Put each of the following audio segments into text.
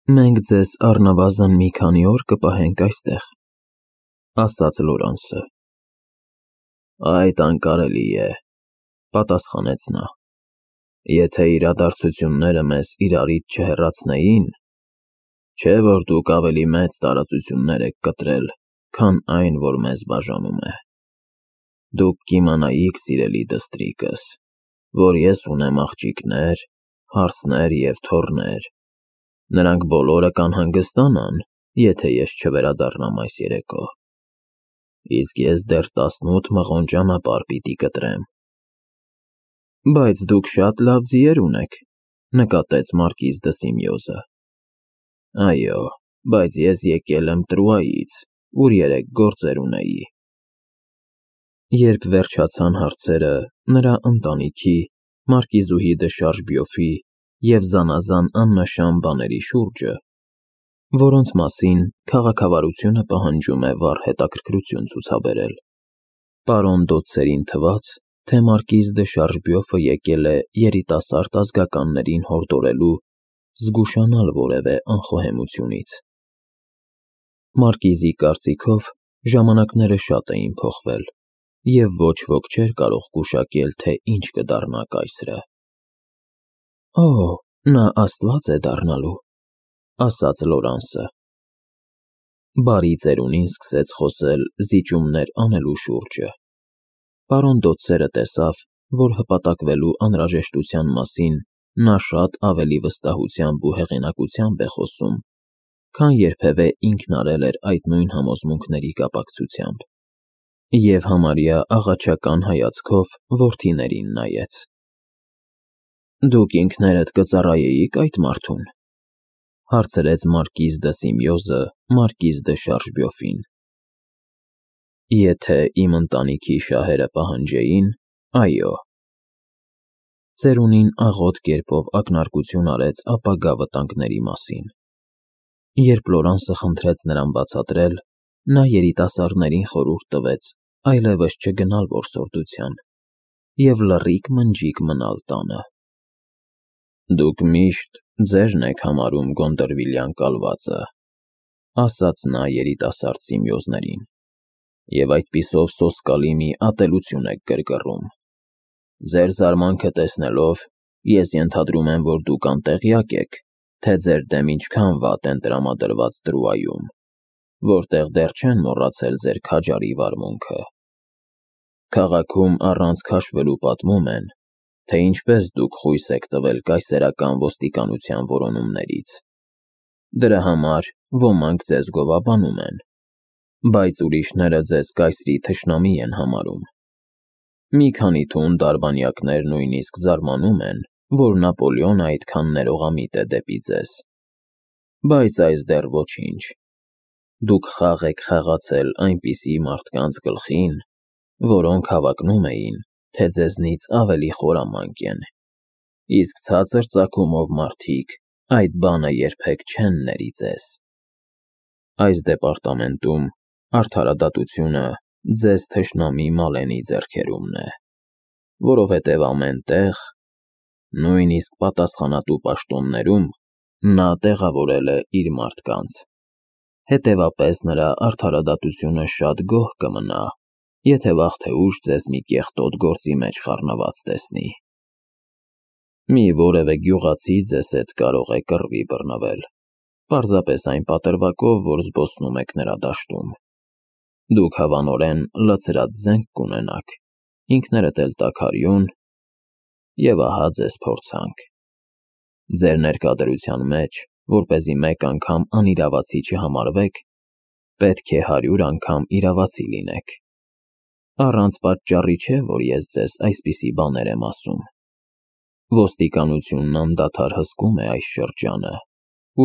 Մենք ձեզ առնվազն մի քանի օր կպահենք այստեղ, ասաց Լորանսը։ Այդ անկարելի է, պատասխանեց նա։ Եթե իրադարձությունները մեզ իրարից չհեռացնեին, չէ որ դուք ավելի մեծ տարածություններ եք կտրել, քան այն, որ մեզ բաժանում է։ Դուք կիմանայիք, սիրելի դստրիկս, որ ես ունեմ աղջիկներ, հարսներ և թոռներ, նրանք բոլորը կանհանգստանան, եթե ես չվերադառնամ այս երեկո, իսկ ես դեռ 18 մղոն ճանապարհ պիտի կտրեմ։ Բայց դուք շատ լավ ձիեր ունեք, նկատեց մարկիզ դը Սիմեոզը։ Այո, բայց ես եկել եմ Տրուայից, ուր 3 գործեր ունեի։ Երբ վերջացան հարցերը, նրա ընտանիքի, մարկիզուհի դը Շարժբյոֆի և զանազան աննշան բաների շուրջը, որոնց մասին քաղաքավարությունը պահանջում է վառ հետաքրքրություն ցուցաբերել, պարոն Դոցերին թվաց, թե մարկիզ դը Շարժբյոֆը եկել է երիտասարդ ազգականներին հորդորելու զգուշանալ որևէ անխոհեմությունից։ Մարկիզի կարծիքով ժամանակները շատ էին փոխվել, և ոչ ոք չէր կարող գուշակել, թե ինչ կդառնա կայսրը։ Օ, նա աստված է դառնալու, ասաց Լորանսը։ Բարի ծերունին սկսեց խոսել զիջումներ անելու շուրջը։ Պարոն Դոցերը տեսավ, որ հպատակվելու անհրաժեշտության մասին նա շատ ավելի վստահությամբ ու հեղինակությամբ է խոսում, քան երբևէ ինքն արել էր այդ նույն համոզմունքների կապակցությամբ, և համարյա աղաչական հայացքով որդիներին նայեց։ Դուք ինքներդ կծառայեիք այդ մարդուն, հարցրեց մարկիզ դը Սիմեոզը մարկիզ դը Շարժբյոֆին։ Եթե իմ ընտանիքի շահերը պահանջեին, այո։ Ծերունին աղոտ կերպով ակնարկություն արեց ապագա վտանգների մասին։ Երբ Լորանսը խնդրեց նրան բացատրել, նա երիտասարդներին խորհուրդ տվեց այլևս չգնալ որսորդության և լռիկ-մնջիկ մնալ տանը։ Դուք միշտ ձերն եք համարում Գոնդերվիլյան կալվածը, ասաց նա երիտասարդ Սիմեոզներին, և այդպիսով սոսկալի մի ատելություն եք գրգռում։ Ձեր զարմանքը տեսնելով, ես ենթադրում եմ, որ դուք անտեղյակ եք, թե ձեր դեմ ինչքան վատ են տրամադրված Տրուայում, որտեղ դեռ չեն մոռացել ձեր քաջարի վարմունքը։ Քաղաքում առանց քաշվելու պատմում են, թե ինչպես դուք խույս եք տվել կայսերական ոստիկանության որոնումներից։ Դրա համար ոմանք ձեզ գովաբանում են, բայց ուրիշները ձեզ կայսրի թշնամի են համարում։ Մի քանի թունդ արբանյակներ նույնիսկ զարմանում են, որ Նապոլեոնը այդքան ներողամիտ է դեպի ձեզ։ Բայց այս դեռ ոչինչ։ Դուք խաղ եք խաղացել այնպիսի մարդկանց գլխին, որոնք հավակնում էին, թե ձեզնից ավելի խորամանկ են, իսկ ցածր ծագումով մարդիկ այդ բանը երբեք չեն ների ձեզ։ Այս դեպարտամենտում արդարադատությունը ձեզ թշնամի Մալենի ձեռքերումն է, որովհետև ամեն տեղ, նույնիսկ պատասխանատու պաշտոններում, նա տեղավորել է իր մարդկանց։ Հետևապես նրա արդարադատությունը շատ գոհ կմնա, եթե վաղ թե ուշ ձեզ մի կեղտոտ գործի մեջ խառնված տեսնի։ Մի որևէ գյուղացի ձեզ հետ կարող է կռվի բռնվել, պարզապես այն պատրվակով, որ զբոսնում եք նրա դաշտում։ Դուք հավանորեն լցրած զենք կունենաք, ինքներդ էլ տաքարյուն, և ահա ձեզ փորձանք։ Ձեր ներկա մեջ, որպեսզի մեկ անգամ անիրավացի չհամարվեք, պետք է 100 անգամ իրավացի լինեք։ Առանց պատճառի չէ, որ ես ձեզ այսպիսի բաներ եմ ասում։ Ոստիկանությունն անդադար հսկում է այս շրջանը,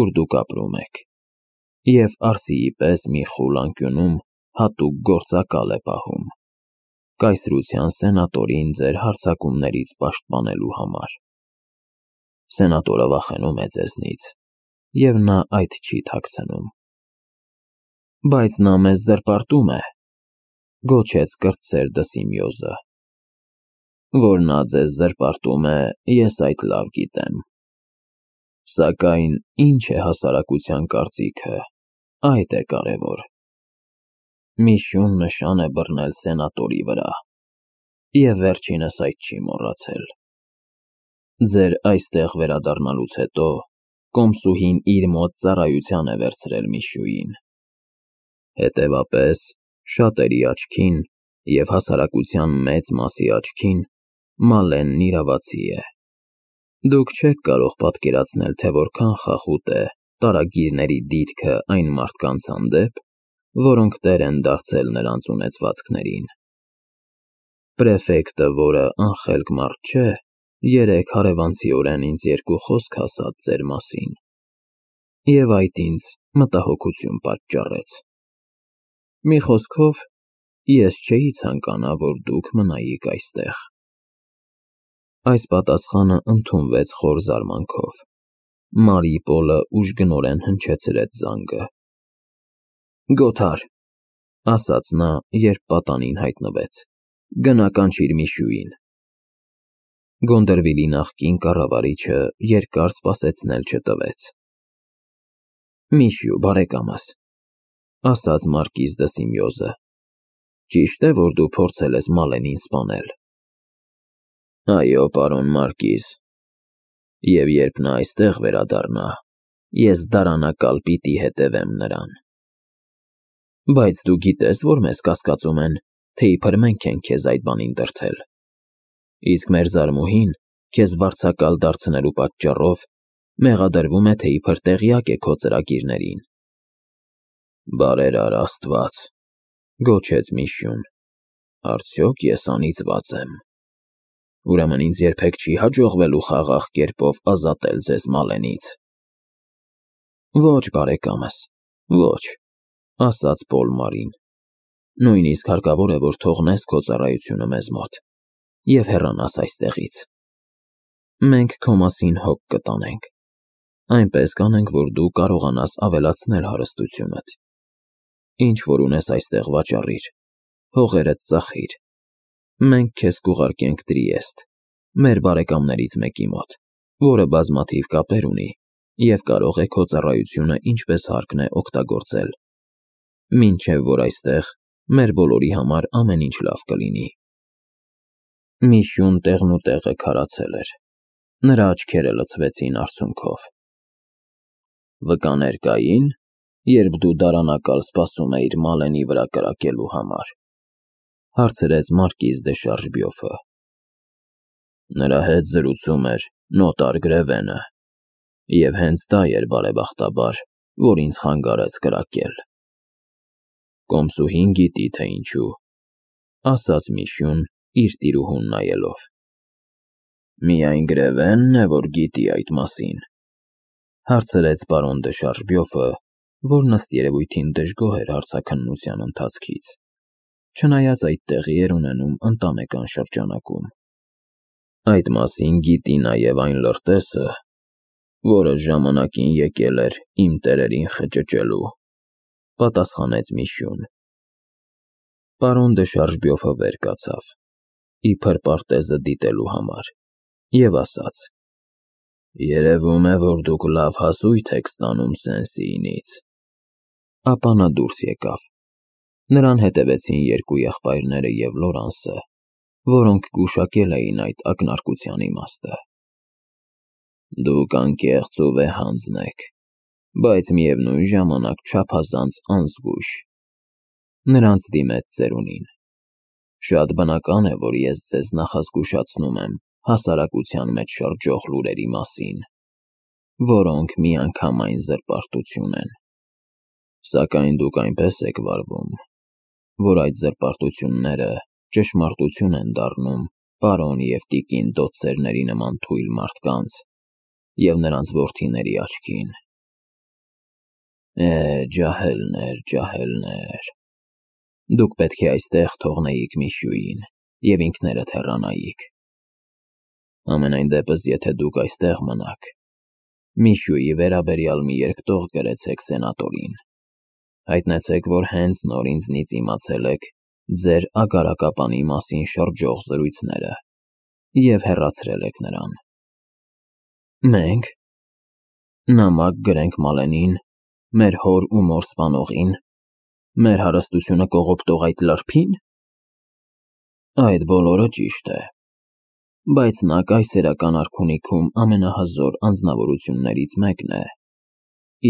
ուր դուք ապրում եք, և Արսիի պես մի խուլ անկյունում հատուկ գործակալ է պահում, կայսրության սենատորին ձեր հարձակումներից պաշտպանելու համար։ Սենատորը վախենում է ձեզնից, և նա այդ չի թաքցնում։ Բայց նա մեզ զրպարտում է, գոչեց կրտսեր դը Սիմեոզը։ Որ նա ձեզ զրպարտում է, ես այդ լավ գիտեմ։ Սակայն ինչ է հասարակության կարծիքը, այդ է կարևոր։ Միշյուն նշան է բռնել սենատորի վրա, և վերջինս այդ չի մոռացել։ Ձեր այստեղ վերադառնալուց հետո կոմսուհին իր մոտ ծառայության է վերցրել Միշյուին։ Հետևապես, շատերի աչքին և հասարակության մեծ մասի աչքին Մալենն իրավացի է։ Դուք չեք կարող պատկերացնել, թե որքան խախուտ է տարագիրների դիրքը այն մարդկանց հանդեպ, որոնք տեր են դարձել նրանց ունեցվածքներին։ Պրեֆեկտը, որը անխելք մարդ չէ, երեկ հարևանցիորեն ինձ երկու խոսք ասաց ձեր մասին, և այդ ինձ մտահոգություն պատճառեց։ Մի խոսքով, ես չէի ցանկանա, որ դուք մնայիք այստեղ։ Այս պատասխանը ընդունվեց խոր զարմանքով։ Մարիպոլը ուժգնորեն հնչեցրեց զանգը։ Գոթար, ասաց նա, երբ պատանին հայտնվեց, գնա կանչիր Միշյուին։ Գոնդերվիլի նախկին կառավարիչը երկար սպասեցնել չտվեց։ Միշյու, բարեկամս, ասաց մարկիզ դը Սիմյոզը, ճիշտ է, որ դու փորձել ես Մալենին սպանել։ Այո, պարոն մարկիզ, և երբ նա այստեղ վերադառնա, ես դարանակալ պիտի հետևեմ նրան։ Բայց դու գիտես, որ մեզ կասկածում են, թե իբր մենք ենք քեզ այդ բանին դրդել, իսկ մեր զարմուհին քեզ վարձակալ դարձնելու պատճառով մեղադրվում է, թե իբր տեղյակ է քո ծրագիրներին։ Բարերար Աստված, գոչեց Միշյուն, արդյոք ես անիծված եմ։ Ուրեմն ինձ երբեք չի հաջողվելու խաղաղ կերպով ազատել ձեզ Մալենից։ Ոչ, բարեկամս, ոչ, ասաց Պոլմարին, նույնիսկ հարկավոր է, որ թողնես քո ծառայությունը մեզ մոտ և հեռանաս այստեղից։ Մենք քո մասին հոգ կտանենք, այնպես կանենք, որ դու կարողանաս ավելացնել հարստությունդ։ Ինչ որ ունես այստեղ վաճառիր, հողերդ ծախիր։ Մենք քեզ կուղարկենք Տրիեստ, մեր բարեկամներից մեկի մոտ, որը բազմաթիվ կապեր ունի և կարող է քո ծառայությունը ինչպես հարկն է օգտագործել, մինչև որ այստեղ մեր բոլորի համար ամեն ինչ լավ կլինի։ Միշյուն տեղնուտեղը քարացել էր, նրա աչքերը լցվեցին արցունքով։ Վկաներ կային, երբ դու դարանակալ սպասում էիր Մալենի վրա կրակելու համար, հարցրեց մարկիզ դե Շարժբյոֆը։ Նրա հետ զրուցում էր նոտար Գրևենը, և հենց դա էր բարեբախտաբար, որ ինձ խանգարեց կրակել։ Կոմսուհին գիտի, թե ինչու, ասաց Միշյուն իր տիրուհուն նայելով։ Միայն Գրևենն է, որ գիտի այդ մասին, հարցրեց պարոն դե Շարժբյոֆը, որն ըստ երևույթին դժգոհ էր հարցաքննության ընթացքից, չնայած այդ տեղի էր ունենում ընտանեկան շրջանակում։ Այդ մասին գիտի նաև այն լրտեսը, որը ժամանակին եկել էր իմ տերերին խճճելու, պատասխանեց Միշյուն։ Պարոն դե Շարժբյոֆը վեր կացավ, իբր պարտեզը դիտելու համար, և ասաց. Երևում է, որ դուք լավ հասույթ եք ստանում Սեն-Սիինից։ Ապա նա դուրս եկավ։ Նրան հետևեցին երկու եղբայրները և Լորանսը, որոնք գուշակել էին այդ ակնարկության իմաստը։ Դուք անկեղծ ու վեհանձն եք, բայց միևնույն ժամանակ չափազանց անզգույշ, նրանց դիմեց ծերունին։ Շատ բնական է, որ ես ձեզ նախազգուշացնում եմ հասարակության մեջ շրջող լուրերի մասին, որոնք միանգամայն զրպարտություն են։ Սակայն դուք այնպես եք վարվում, որ այդ զրպարտությունները ճշմարտություն են դառնում պարոն և տիկին դոցերների նման թույլ մարդկանց և նրանց որդիների աչքին։ Ջահելներ, ջահելներ, դուք պետք է այստեղ թողնեիք Միշյուին և ինքներդ հեռանայիք։ Համենայն դեպս, եթե դուք այստեղ մնաք, Միշյուի վերաբերյալ մի երկտող գրեցեք սենատորին, հայտնեցեք, որ հենց նոր ինձնից իմացել եք ձեր ագարակապանի մասին շրջող զրույցները և հեռացրել եք նրան։ Մենք, Նամակ գրենք Մալենին, մեր հոր ու մոր սպանողին, մեր հարստությունը կողոպտող այդ լրփին։ Այդ բոլորը ճիշտ է, բայց նա կայսերական արքունիքում ամենահզոր անձնավորություններից մեկն է,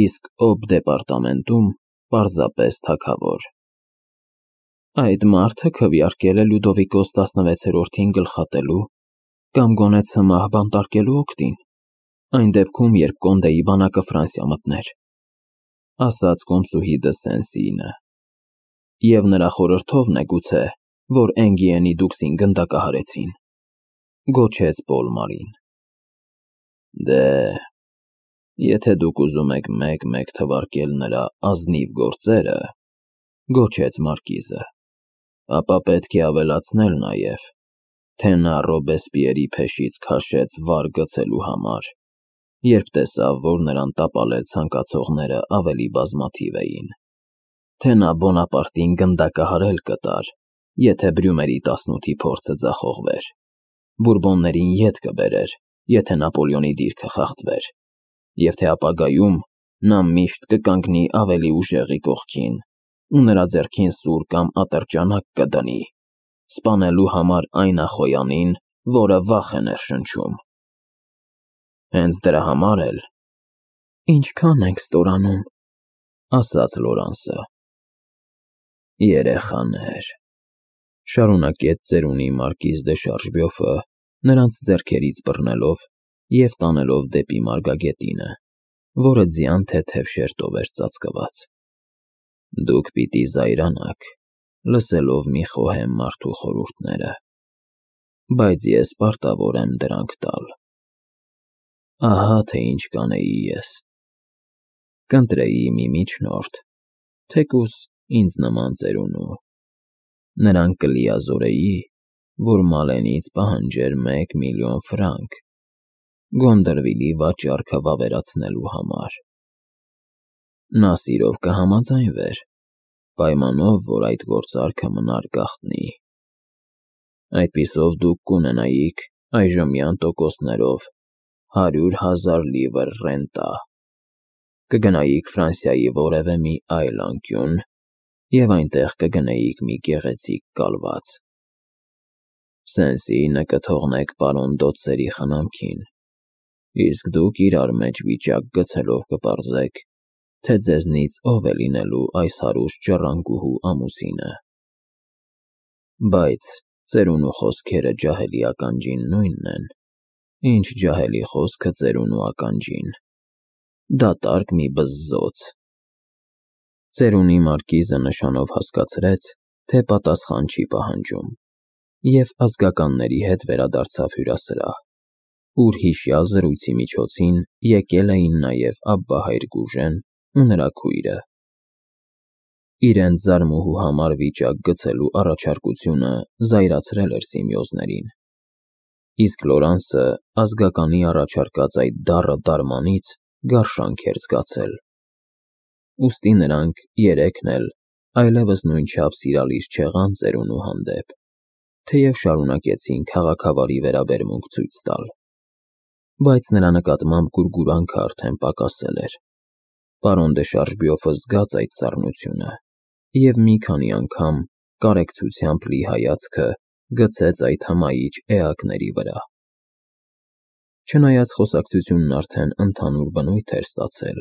իսկ օբ դեպարտամենտում պարզապես թագավոր։ Այդ մարդը քվեարկել է Լյուդովիկոս 16-րդին գլխատելու կամ գոնե ցմահ բանտարկելու օգտին, այն դեպքում, երբ Կոնդեի բանակը Ֆրանսիա մտներ, ասաց կոմսուհի դը Սեն-Սինը, և նրա խորհրդովն է գուցե, որ Էնգիենի դուքսին գնդակահարեցին, գոչեց Պոլմարին։ Դե, եթե դուք ուզում եք մեկ-մեկ թվարկել նրա ազնիվ գործերը, գոչեց մարկիզը, ապա պետք է ավելացնել նաև, թե նա Ռոբեսպիերի փեշից քաշեց վար գցելու համար, երբ տեսավ, որ նրան տապալել ցանկացողները ավելի բազմաթիվ էին, թե նա Բոնապարտին գնդակահարել կտար, եթե Բրյումերի 18-ի փորձը ձախողվեր, Բուրբոններին ետ կբերեր, եթե Նապոլեոնի դիրքը խախտվեր, և թե ապագայում նա միշտ կկանգնի ավելի ուժեղի կողքին ու նրա ձեռքին սուր կամ ատրճանակ կդնի, սպանելու համար այն ախոյանին, որը վախ է ներշնչում։ Հենց դրա համար էլ… Ինչքան ենք ստորանում, ասաց Լորանսը։ Երեխաներ, շարունակեց ծերունի մարկիզ դե Շարժբյոֆը, նրանց ձեռքերից բռնելով և տանելով դեպի մարգագետինը, որը ձյան թեթև շերտով էր ծածկված։ Դուք պիտի զայրանաք, լսելով մի խոհեմ մարդու խորհուրդները, բայց ես պարտավոր եմ դրանք տալ։ Ահա թե ինչ կանեի ես. կընտրեի մի միջնորդ, թեկուզ ինձ նման ծերունու, նրան կլիազորեի, որ Մալենից պահանջեր 1 միլիոն ֆրանկ Գոնդրվիլի վաճառքը վավերացնելու համար։ Նա սիրով կհամաձայնվեր, պայմանով, որ այդ գործարքը մնար գաղտնի։ Այդպիսով դուք կունենայիք այժմյան տոկոսներով 100,000 լիվր ռենտա, կգնայիք Ֆրանսիայի որևէ մի այլ անկյուն և այնտեղ կգնեիք մի գեղեցիկ կալված։ Սեն-Սինը կթողնեք պարոն Դոցերի խնամքին, իսկ դուք իրար մեջ վիճակ գցելով կպարզեք, թե ձեզնից ով է լինելու այս հարուստ ժառանգուհու ամուսինը։ Բայց ծերունու խոսքերը ջահելի ականջին նույնն են, ինչ ջահելի խոսքը ծերունու ականջին, դատարկ մի բզզոց։ Ծերունի մարկիզը նշանով հասկացրեց, թե պատասխան չի պահանջում, և ազգականների հետ վերադարձավ հյուրասրահ, ուր հիշյալ զրույցի միջոցին եկել էին նաև Աբբահայր Գուժեն ու նրա քույրը։ Իրենց զարմուհու համար վիճակ գցելու առաջարկությունը զայրացրել էր Սիմեոզներին, իսկ Լորանսը ազգականի առաջարկած այդ դառը դարմանից գարշանք էր զգացել։ Ուստի նրանք երեքն էլ այլևս նույնչափ սիրալիր չեղան ծերունու հանդեպ, թեև շարունակեցին քաղաքավարի վերաբերմունք ցույց տալ, բայց նրա նկատմամբ գուրգուրանքը արդեն պակասել էր։ Պարոն դե Շարժբյոֆը զգաց այդ սառնությունը և մի քանի անգամ կարեկցությամբ լի հայացքը գցեց այդ հմայիչ էակների վրա։ Չնայած խոսակցությունն արդեն ընդհանուր բնույթ էր ստացել,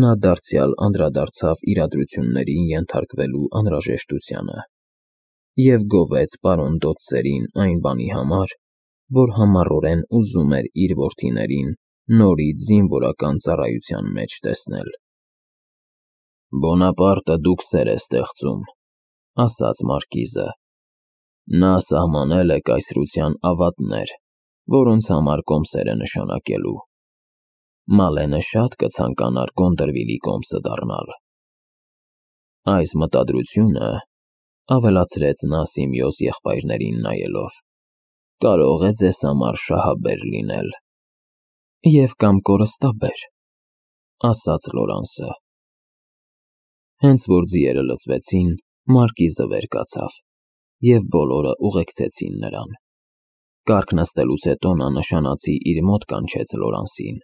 նա դարձյալ անդրադարձավ իրադրություններին ենթարկվելու անհրաժեշտությանը և գովեց պարոն Դոցերին այն բանի համար, որ համառորեն ուզում էր իր որդիներին նորից զինվորական ծառայության մեջ տեսնել։ Բոնապարտը դուքսեր է ստեղծում, ասաց մարկիզը։ Նա սահմանել է կայսրության ավատներ, որոնց համար կոմսեր է նշանակելու։ Մալենը շատ կցանկանար Գոնդրվիլի կոմսը դառնալ։ Այս մտադրությունը, ավելացրեց նա Սիմեոզ եղբայրներին նայելով, կարող է ձեզ համար շահաբեր լինել։ Եվ կամ կորստաբեր, ասաց Լորանսը։ Հենց որ ձիերը լցվեցին, մարկիզը վեր կացավ, և բոլորը ուղեկցեցին նրան։ Կառք նստելուց հետո նա նշանացի իր մոտ կանչեց Լորանսին,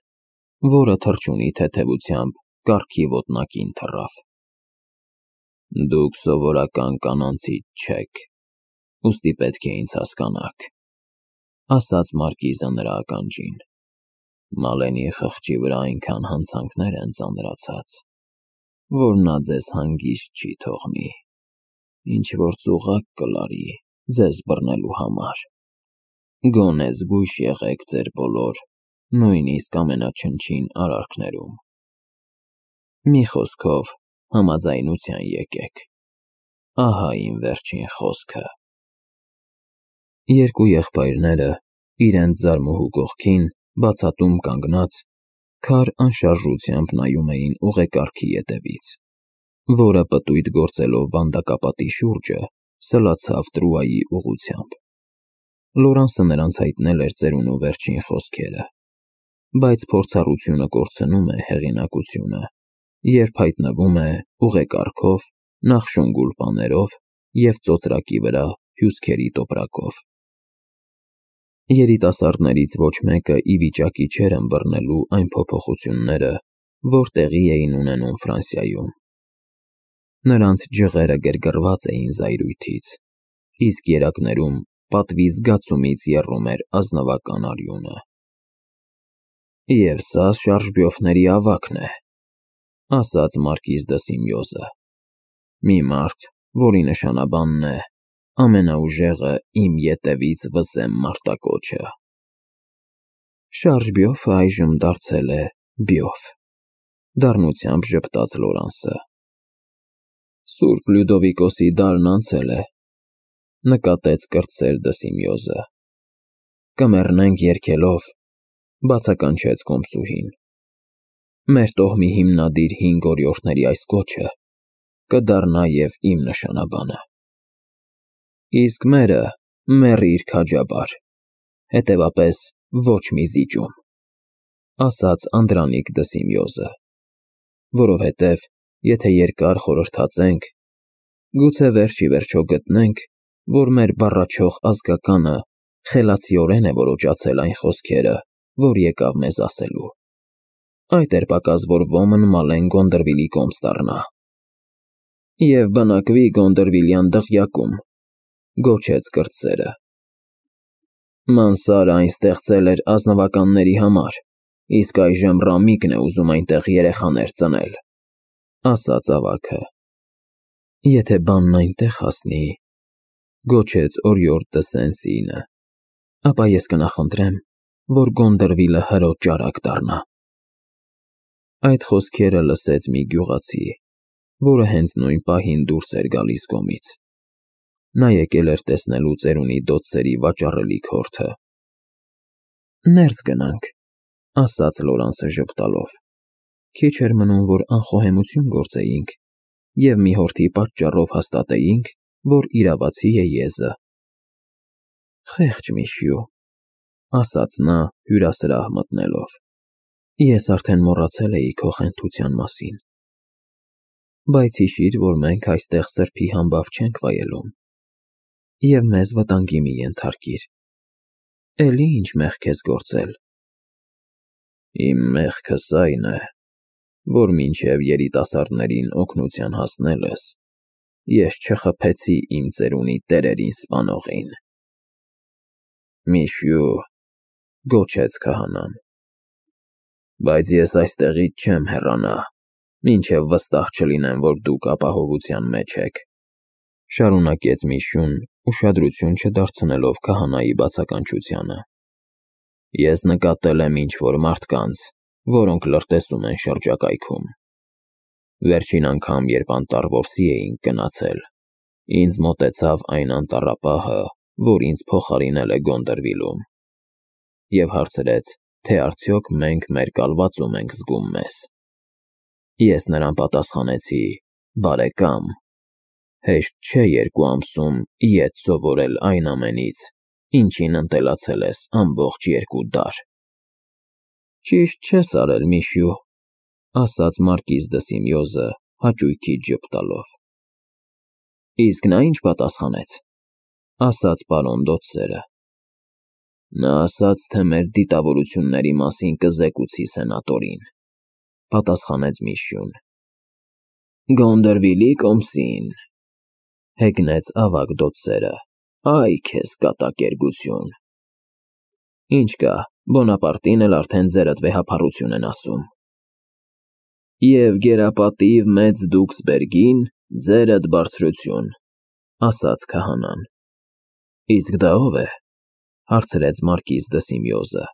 որը թռչունի թեթևությամբ կառքի ոտնակին թռավ։ Դուք սովորական կանանցից չեք, ուստի պետք է ինձ հասկանաք, ասաց մարկիզը նրա ականջին։ Մալենի խղճի վրա այնքան հանցանքներ են ծանրացած, որ նա ձեզ հանգիստ չի թողնի, ինչ որ ծուղակ կլարի ձեզ բռնելու համար։ Գոնե զգույշ եղեք ձեր բոլոր, նույնիսկ ամենաչնչին արարքներում։ Մի խոսքով, համաձայնության եկեք։ Ահա իմ վերջին խոսքը։ Երկու եղբայրները, իրենց ձարմուհու կողքին, բացատում կանգնած, քար անշարժությամբ նայում էին ուղեկարգի ետևից, որը պտույտ գործելով վանդակապատի շուրջը, սլացավ Տրուայի ուղղությամբ։ Լորանսը նրանց հայտնել էր ծերունու վերջին խոսքերը, բայց փորձառությունը կորցնում է հեղինակությունը, երբ հայտնվում է ուղեկարգով, նախշուն գուլպաներով և ծոծրակի վրա հյուսքերի տոպրակով։ Երիտասարդներից ոչ մեկը ի վիճակի չէր ըմբռնելու այն փոփոխությունները, որ տեղի էին ունենում Ֆրանսիայում։ Նրանց ջղերը գրգռված էին զայրույթից, իսկ երակներում պատվի զգացումից եռում էր ազնվական արյունը։ Եվ սա շարժբյոֆների ավագն է, ասաց մարկիզ դը Սիմյոզը, մի մարդ, որի նշանաբանն է ամենաուժեղը իմ ետևից վսեմ մարտակոչը։ Շարժբյոֆը այժմ դարձել է բյոֆ, դառնությամբ ժպտաց Լորանսը։ Սուրբ Լյուդովիկոսի դարն անցել է, նկատեց կրտսեր դը Սիմյոզը։ Կմեռնենք երգելով, բացականչեց կոմսուհին։ Մեր տոհմի հիմնադիր 5 օրիորդների այս կոչը կդառնա և իմ նշանաբանը։ Իսկ մերը մեռիր քաջաբար, հետևապես ոչ մի զիջում, ասաց Անդրանիկ դը Սիմյոզը, որովհետև եթե երկար խորհրդացենք, գուցե վերջ ի վերջո գտնենք, որ մեր բառաչող ազգականը խելացիորեն է որոջացել այն խոսքերը, որ եկավ մեզ ասելու։ Այդ էր պակաս, որ ոմն Մալեն Գոնդրվիլի կոմս դառնա։ Եվ բնակվի Գոնդրվիլյան դղյակում, գոչեց կրտսերը։ Մանսարը այն ստեղծել էր ազնվականների համար, իսկ այժմ Ռամիկն է ուզում այնտեղ երեխաներ ծնել, ասաց ավագը։ Եթե բանն այնտեղ հասնի, գոչեց օրիորդ դը Սեն-Սինը, ապա ես կնախընտրեմ, որ Գոնդրվիլը հրոտ ճարակ դառնա։ Այդ խոսքերը լսեց մի գյուղացի, որը հենց նույն պահին դուրս էր գալիս գոմից։ Նա եկել էր տեսնելու ծերունի դոցերի վաճառելիք հորթը։ Ներս գնանք, ասաց Լորանսը ժպտալով։ Քիչ էր մնում, որ անխոհեմություն գործեինք, և մի հորթի պատճառով հաստատեինք, որ իրավացի է եզը։ Խեղճ Միշյու, ասաց նա հյուրասրահ մտնելով, ես արդեն մոռացել էի քո խենթության մասին։ Բայց հիշիր, որ մենք այստեղ սրբի համբավ չենք վայելում, և մեզ վտանգի մի ենթարկիր։ Էլի ինչ մեղք ես գործել։ Իմ մեղքս այն է, որ մինչև երիտասարդներին օգնության հասնելս, ես չխփեցի իմ ծերունի տերերին սպանողին։ Միշյու, գոչեց քահանան, բայց ես այստեղից չեմ հեռանա, մինչև վստահ չլինեմ, որ դուք ապահովության մեջ եք, շարունակեց Միշյուն, ուշադրություն չդարձնելով քահանայի բացականչությանը։ Ես նկատել եմ ինչ-որ մարդկանց, որոնք լրտեսում են շրջակայքում։ Վերջին անգամ, երբ անտառ որսի էինք գնացել, ինձ մոտեցավ այն անտառապահը, որ ինձ փոխարինել է Գոնդրվիլում, և հարցրեց, թե արդյոք մենք մեր կալվածում ենք զգում մեզ։ Ես նրան պատասխանեցի. բարեկամ, հեշտ չէ 2 ամսում ետ սովորել այն ամենից, ինչին ընտելացել ես ամբողջ 2 դար։ Ճիշտ չես արել, Միշյու, ասաց մարկիզ դը Սիմյոզը հաճույքից ժպտալով։ Իսկ նա ինչ պատասխանեց, ասաց պարոն Դոցերը։ Նա ասաց, թե մեր դիտավորությունների մասին կզեկուցի սենատորին, պատասխանեց Միշյուն։ Գոնդերվիլի կոմսին, հեգնեց ավագ դոցերը, այ քեզ կատակերգություն։ Ինչ կա, Բոնապարտին էլ արդեն ձերդ վեհափառություն են ասում։ Եվ գերապատիվ մեծ Դուքսբերգին ձերդ բարձրություն, ասաց քահանան։ Իսկ դա ով է, հարցրեց մարկիզ դը Սիմեոզը։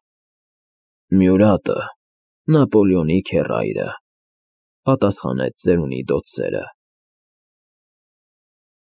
Մյուրատը, Նապոլեոնի քեռայրը, պատասխանեց ծերունի դոցերը։